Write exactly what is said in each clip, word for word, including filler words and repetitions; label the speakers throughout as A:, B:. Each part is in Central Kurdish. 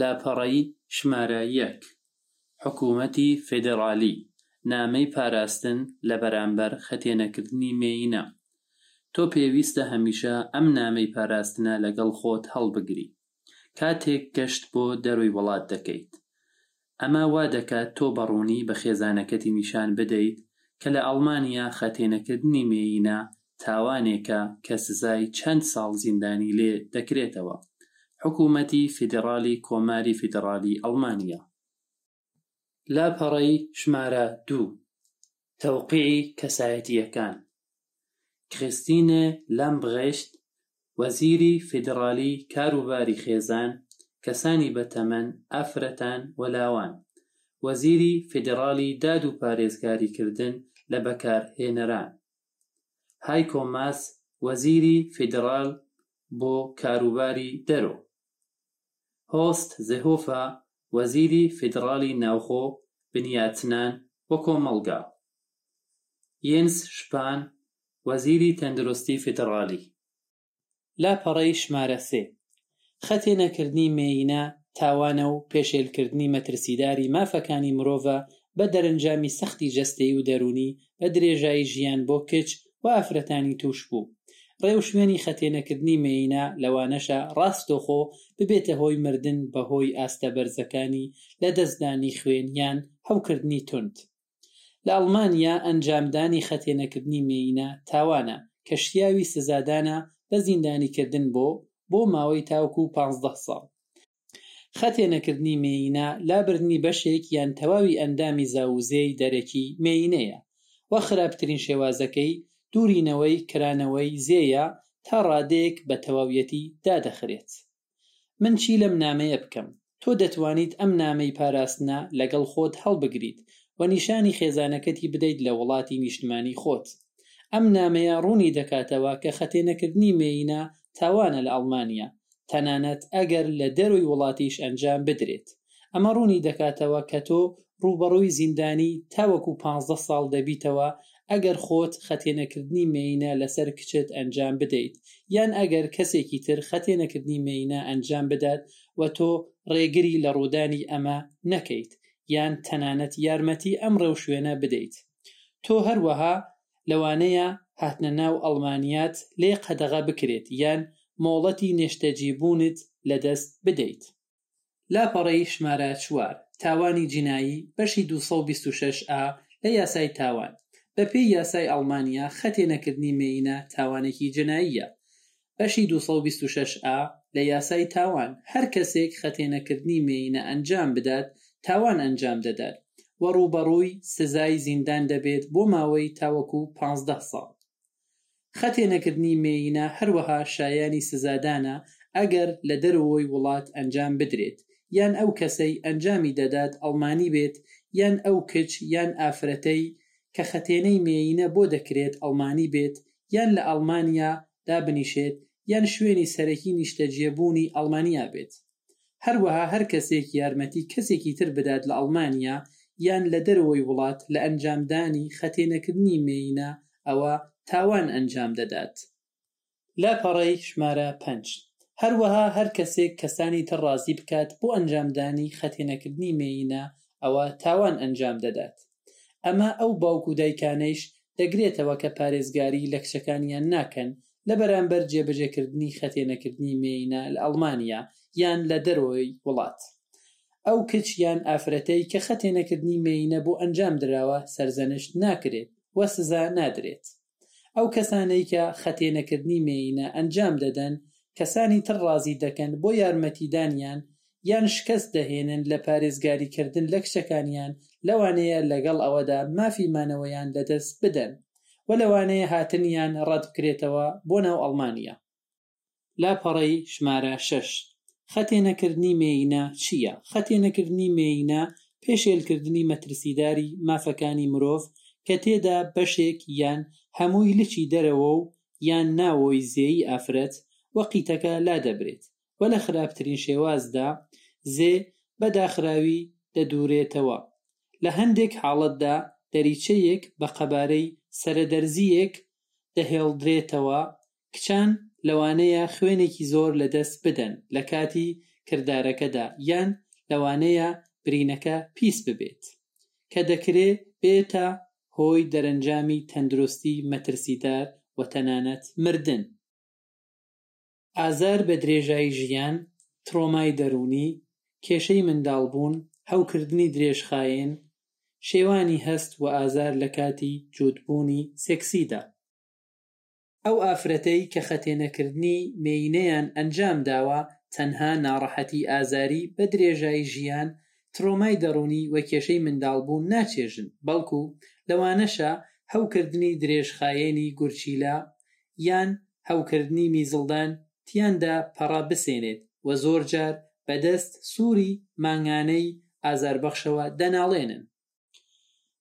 A: لاپەڕەی ژمارە یەک. حکوومەتی فیدڕاڵی، نامەی پاراستن لە بەرامبەر خەتێنەکردنی مێینە. تۆ پێویستە هەمیشە ئەم نامەی پاراستنە لەگەڵ خۆت هەڵبگری کاتێک گەشت بۆ دەرۆی وڵات دەکەیت. ئەمە وا دەکات تۆ بە ڕوونی بە خێزانەکەتی نیشان بدەیت کە لە ئەڵمانیا خەتێنەکردنی مێینە تاوانێکە کە سزای چەند ساڵ زیندانی لێ دەکرێتەوە. حکوومەتی فیدڕاڵی کۆماری فیدڕاڵی ئەڵمانیا. لاپەڕەی ژمارە دوو. تەوقیعی کەسایەتییەکان. کریستینێ لامبرێشت، وەزیری فیدڕاڵی کاروباری خێزان، کەسانی بەتەمەن، ئافرەتان و لاوان. وەزیری فیدڕاڵی داد و پارێزگاریکردن لە بەکارهێنەران. هایکۆ ماس، وەزیری فیدڕاڵ بۆ کاروباری دەرۆ. هۆست زێهۆفە، وەزیری فیدڕاڵی ناوخۆ، بنیاتنان و کۆمەڵگا. یێنس شپان، وەزیری تەندروستی فیدڕاڵی. لاپەڕەی ژمارە سێ. خەتێنەکردنی مێینە تاوانە و پێشێلکردنی مەترسیداری مافەکانی مرۆڤە بە دەرەنجامی سەختی جەستەیی و دەروونی بە درێژایی ژیان بۆ کچ و ئافرەتانی تووشبوو. ڕێوشوێنی خەتێنەکردنی مێینە لەوانەشە ڕاستەوخۆ ببێتە هۆی مردن بەهۆی ئاستە بەرزەکانی لەدەستدانی خوێن یان هەوکردنی توند. لە ئەڵمانیا ئەنجامدانی خەتێنەکردنی مێینە تاوانە کە شیاوی سزادانە بە زیندانیکردن بۆ بۆ ماوەی تاوەکو پازدە ساڵ. خەتێنەکردنی مێینە لابردنی بەشێک یان تەواوی ئەندامی زاوزێی دەرەکی مێینەیە و خراپترین شێوازەکەی دوورینەوەی کرانەوەی زێیە تا ڕادەیەک بە تەواویەتی دادەخرێت. من چی لەم نامەیە بکەم؟ تۆ دەتوانیت ئەم نامەی پاراستنە لەگەڵ خۆت هەڵبگریت و نیشانی خێزانەکەتی بدەیت لە وڵاتی نیشتمانی خۆت. ئەم نامەیە ڕوونی دەکاتەوە کە خەتێنەکردنی مێینە تاوانە لە ئەڵمانیا، تەنانەت ئەگەر لە دەرۆی وڵاتیش ئەنجام بدرێت. ئەمە ڕوونی دەکاتەوە کە تۆ ڕووبەڕووی زیندانی تاوەکو پازدە ساڵ دەبیتەوە ئەگەر خۆت خەتێنەکردنی مێینە لەسەر کچت ئەنجام بدەیت، یان ئەگەر کەسێکی تر خەتێنەکردنی مێینە ئەنجام بدات و تۆ ڕێگری لە ڕوودانی ئەمە نەکەیت، یان تەنانەت یارمەتی ئەم ڕێوشوێنە بدەیت. تۆ هەروەها لەوانەیە هاتنە ناو ئەڵمانیات لێ قەدەغە بکرێت یان مۆڵەتی نیشتەجێبوونت لەدەست بدەیت. لاپەڕەی ژمارە چوار. تاوانی جینایی بەشی دوو سەد و بیست و شەش ئا لە یاسای تاوان. بەپێی یاسای ئەڵمانیا خەتێنەکردنی مێینە تاوانێکی جەناییە. بەشی دوو سەد و بیست و شەش ئا لە یاسای تاوان هەر کەسێک خەتێنەکردنی مێینە ئەنجام بدات تاوان ئەنجام دەدات و ڕووبەڕووی سزای زیندان دەبێت بۆ ماوەی تاوەکو پازدە ساڵ. خەتێنەکردنی مێینە هەروەها شایانی سزادانە ئەگەر لە دەرەوەی وڵات ئەنجام بدرێت، یان ئەو کەسەی ئەنجامی دەدات ئەڵمانی بێت، یان ئەو کچ یان ئافرەتەی کە خەتێنەی مێینە بۆ دەکرێت ئەڵمانی بێت، یان لە ئەڵمانیا دابنیشێت، یان شوێنی سەرەکی نیشتەجێبوونی ئەڵمانیا بێت. هەروەها هەر کەسێک یارمەتی کەسێکی تر بدات لە ئەڵمانیا یان لە دەرەوەی وڵات لە ئەنجامدانی خەتێنەکردنی مێینە ئەوە تاوان ئەنجام دەدات. لاپەڕەی ژمارە پەنج. هەروەها هەر کەسێک کەسانی تر ڕازی بکات بۆ ئەنجامدانی خەتێنەکردنی مێینە ئەوە تاوان ئەنجام دەدات. ئەمە ئەو باوک و دایکانەیش دەگرێتەوە کە پارێزگاری لە کچەکانیان ناکەن لە بەرامبەر جێبەجێکردنی خەتێنەکردنی مێینە لە ئەڵمانیا یان لە دەرەوەی وڵات. ئەو کچ یان ئافرەتەی کە خەتێنەکردنی مێینە بۆ ئەنجام دراوە سەرزەنشت ناکرێت و سزا نادرێت. ئەو کەسانەی کە خەتێنەکردنی مێینە ئەنجام دەدەن کەسانی تر ڕازی دەکەن بۆ یارمەتیدانیان یان شکست دەهێنن لە پارێزگاریکردن لە کچەکانیان، لەوانەیە لەگەڵ ئەوەدا مافی مانەوەیان لەدەست بدەن و لەوانەیە هاتنیان ڕەت بکرێتەوە بۆ ناو ئەڵمانیا. لاپەڕەی ژمارە شەش. خەتێنەکردنی مێینە چییە؟ خەتێنەکردنی مێینە پێشێلکردنی مەترسیداری مافەکانی مرۆڤ کە تێدا بەشێک یان هەمووی لچی دەرەوە و یان ناوەوەی زێی ئافرەت و قیتەکە لادەبرێت و لە خراپترین شێوازدا زێ بە داخراوی دەدورێتەوە. لە هەندێک حاڵەتدا دەریچەیەک بە قەبارەی سەرەدەرزییەک دەهێڵدرێتەوە. کچان لەوانەیە خوێنێکی زۆر لەدەست بدەن لە کاتی کردارەکەدا یان لەوانەیە برینەکە پیس ببێت، کە دەکرێ بێتە هۆی دەرەنجامی تەندروستی مەترسیدار و تەنانەت مردن. ئازار بە درێژایی ژیان، ترۆمای دەروونی، کێشەی منداڵبوون، هەوکردنی درێژخایەن، شێوانی هەست و ئازار لە کاتی جووتبوونی سێکسیدا. ئەو ئافرەتەی کە خەتێنەکردنی مێینەیان ئەنجام داوە تەنها ناڕەحەتی ئازاری بە درێژایی ژیان، ترۆمای دەروونی و کێشەی منداڵبوون ناچێژن، بەڵکو لەوانەشە هەوکردنی درێژخایەنی گورچیلە یان هەوکردنی میزڵدان تیاندا پەڕە بسێنێت و زۆرجار بەدەست سووری مانگانەی ئازاربەخشەوە دەناڵێنن.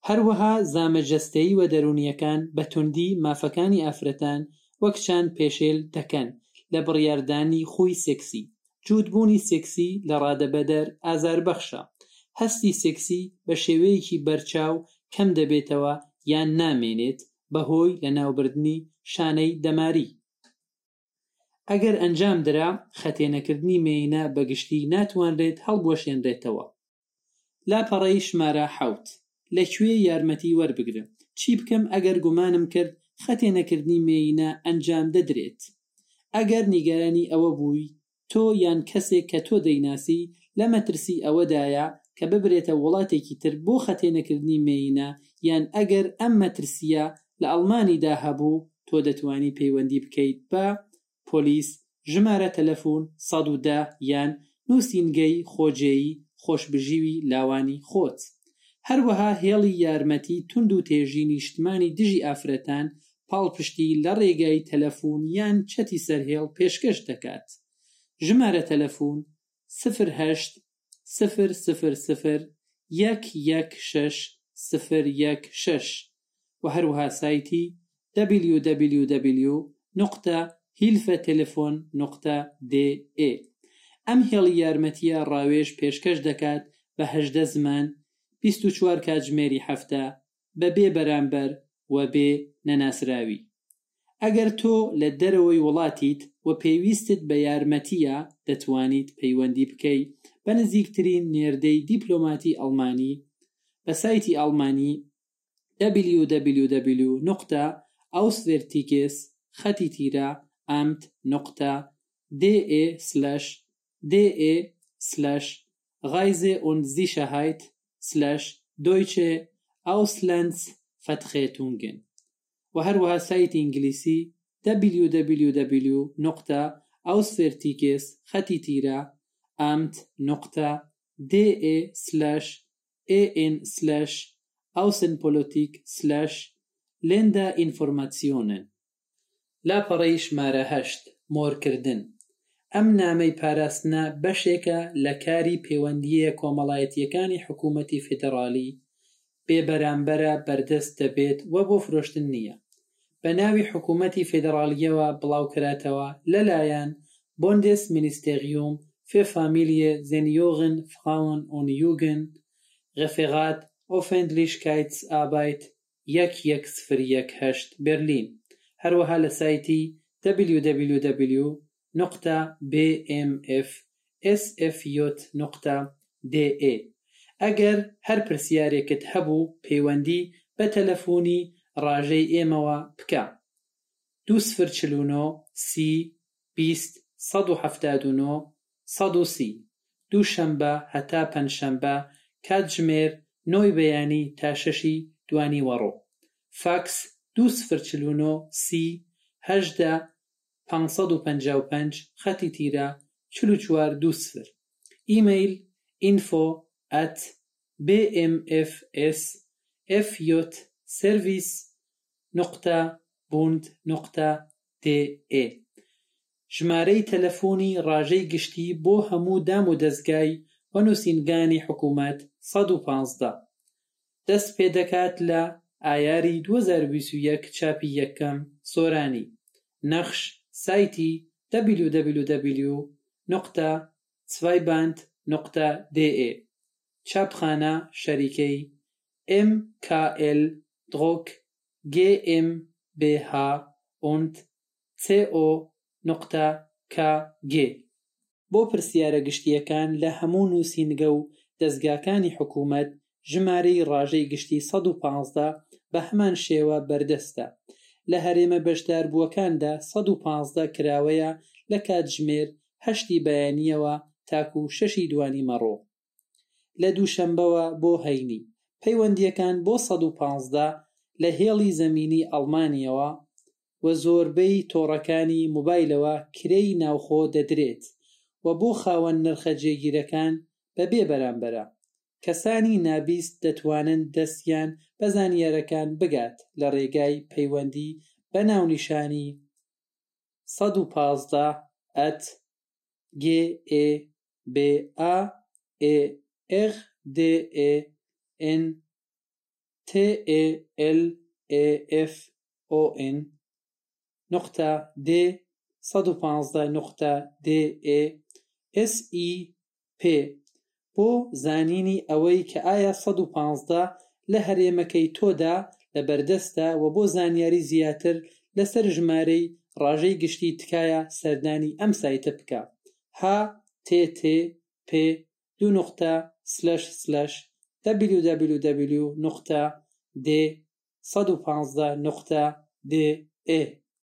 A: هەروەها زامە جەستەیی و دەروونییەکان بە توندی مافەکانی ئافرەتان و کچان پێشێل دەکەن لە بڕیاردانی خووی سێکسی. جووتبوونی سێکسی لە ڕادەبەدەر ئازاربەخشە. هەستی سێکسی بە شێوەیەکی بەرچاو کەم دەبێتەوە یان نامێنێت بەهۆی لەناوبردنی شانەی دەماری. ئەگەر ئەنجام درا، خەتێنەکردنی مێینە بە گشتی ناتوانرێت هەڵبوەشێنرێتەوە. لاپەڕەی ژمارە حەوت. لە کوێ یارمەتی وەربگرم؟ چی بکەم ئەگەر گومانم کرد خەتێنەکردنی مێینە ئەنجام دەدرێت؟ ئەگەر نیگەرانی ئەوە بووی تۆ یان کەسێک کە تۆ دەیناسی لە مەترسی ئەوەدایە کە ببرێتە وڵاتێکی تر بۆ خەتێنەکردنی مێینە یان ئەگەر ئەم مەترسیە لە ئەڵمانیدا هەبوو، تۆ دەتوانی پەیوەندی بکەیت بە پۆلیس، ژمارە تەلەفۆن سەد و دە یان نووسینگەی خۆجێی خۆشبژیوی لاوانی خۆت. هەروەها هێڵی یارمەتی توند و تێژی نیشتمانی دژی ئافرەتان پاڵپشتی لە ڕێگای تەلەفۆن یان چەتی سەرهێڵ پێشکەش دەکات. ژمارە تەلەفۆن سفر هەشت سفر سفر سفر یەک یەک شەش سفر یەک شەش و هەروەها سایتی دبلیو دبلیو دبلیو نقطە هیلفە تەلەفۆن نقطە دێ ئێ. ئەم هێڵی یارمەتیە ڕاوێژ پێشکەش دەکات بە هەژدە زمان، بیست و چوار کاتژمێری هەفتە، بە بێ بەرامبەر و بێ نەناسراوی. ئەگەر تۆ لە دەرەوەی وڵاتیت و پێویستت بە یارمەتیە، دەتوانیت پەیوەندی بکەیت بە نزیکترین نێردەی دیپلۆماتی ئەڵمانی بە سایتی ئەڵمانی دبلیو دبلیو دبلیو نقطە ئاوسڤێرتیگێس خەتی تیرە ئامت نقطە دێ ئێ سلش دێ ئێ سلش غایزێ und Sicherheit سلش Deutsche Auslandsvertretungen و هەروەها سایتی ئینگلیسی دبلیو دبلیو دبلیو نقطە ئاوسڤێرتیگێس خەتی تیرە ئامت نقطە دێ ئێ سلش ئێ ئێن سلش Außenpolitik سلش Länderinformationen. لاپەڕەی ژمارە هەشت. مۆرکردن. ئەم نامەی پاراستنە بەشێکە لە کاری پەیوەندییە کۆمەڵایەتیەکانی حکوومەتی فیدراڵی، بێبەرامبەرە بەردەست دەبێت و بۆ فرۆشتن نییە. بە ناوی حکوومەتی فیدراڵیەوە بڵاوکراتەوە لەلایەن Bundesministerium für Familie, Senioren, Frauen und Jugend, Referat Öffentlichkeitsarbeit یەک یەک سفر یەک هەشت بەرلین. هەروەها لە سایتی دبلیو دبلیو دبلیو نقطە بی ئێم ئێف ئێس ئێف یۆت نقطە دێ ئێ. ئەگەر هەر پرسیارێکت هەبوو پەیوەندی بە تەلەفۆنی ڕاژەی ئێمەوە بکە. دوو سفر چل و نۆ سی بیست سەد و حەفتاد و نۆ سەد و سی. دووشەنبە هەتا پەنجشەنبە کاتژمێر نۆی بەیانی تا شەشی دوانیوەڕۆ. فاکس دوو سفر چل و نۆ سی هەژدە پانسەد و پەنجا و پەنج خەتی تیرە چل و چوار دوو سفر. ئیمەیل ئینفۆ ئەت بی ئێم ئێف ئێس ئێف یۆت سێرڤیس نقطە بوند نقطە دێ ئێ. ژمارەی تەلەفۆنی ڕاژەی گشتی بۆ هەموو دام و دەزگای و نووسینگانی حکوومەت سەد و پانزدە. دەست پێدەکات لە ئایاری دوو هەزار و بیست و یەک چاپی یەکەم سۆرانی. نەخش سایتی دبلیو دبلیو دبلیو نقطە چوایباند نقطە دێ ئێ. چاپخانە شەریکەی ئێم کا ئێل درۆک گێ ئێم بێ ها und سی ئۆ نقطە کا گێ. بۆ پرسیارە گشتیەکان لە هەموو نووسینگە و دەزگاکانی حکومەت ژمارەی ڕاژەی گشتی سەد و پازدە بە هەمان شێوە بەردەستە. لە هەرێمە بەشداربووەکاندا سەد و پازدە کراوەیە لە کاتژمێر هەشتی بەیانیەوە تاکو شەشی دوانیوەڕۆ لە دووشەمبەوە بۆ هەینی. پەیوەندیەکان بۆ سەد و پازدە لە هێڵی زەمینی ئەڵمانیەوە و زۆربەی تۆڕەکانی مۆبایلەوە کرێی ناوخۆ دەدرێت و بۆ خاوەن نرخە جێگیرەکان بەبێ بەرامبەرە. کەسانی نابیست دەتوانن دەستیان بە زانیاریەکان بگات لە ڕێگای پەیوەندی بە ناونیشانی سەد و پازدە at G E B A E R D E N T E L E F O N نقطە D سەد و پازدە نقطە D E S E P بۆ زانینی ئەوەی کە ئایا سەد و پازدە لە هەرێمەکەی تۆدا لەبەردەستە و بۆ زانیاری زیاتر لەسەر ژمارەی ڕاژەی گشتی تکایە سەردانی ئەم سایتە بکە H T T P دوو نقطە slash slash W W W نقطە D سەد و پازدە نقطە D E.